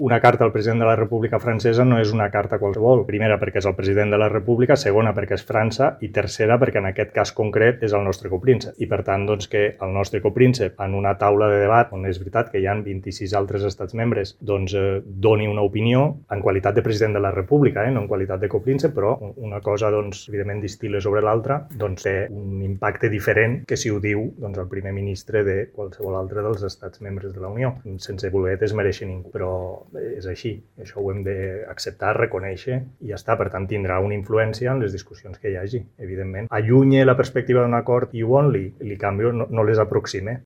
Una carta al president de la República francesa no és una carta qualsevol. Primera, perquè és el president de la República, segona, perquè és França, i tercera, perquè en aquest cas concret és el nostre copríncep. I per tant, doncs, que el nostre copríncep, en una taula de debat, on és veritat que hi ha 26 altres estats membres, doncs doni una opinió en qualitat de president de la República, no en qualitat de copríncep, però una cosa, doncs, evidentment distil·la sobre l'altra, doncs té un impacte diferent que si ho diu doncs, el primer ministre de qualsevol altre dels estats membres de la Unió. Sense voler desmereixer ningú, però és així, això ho hem d'acceptar, reconèixer i ja està. Per tant, tindrà una influència en les discussions que hi hagi, evidentment. Allunye la perspectiva d'un acord i li canvio, no les aproxime.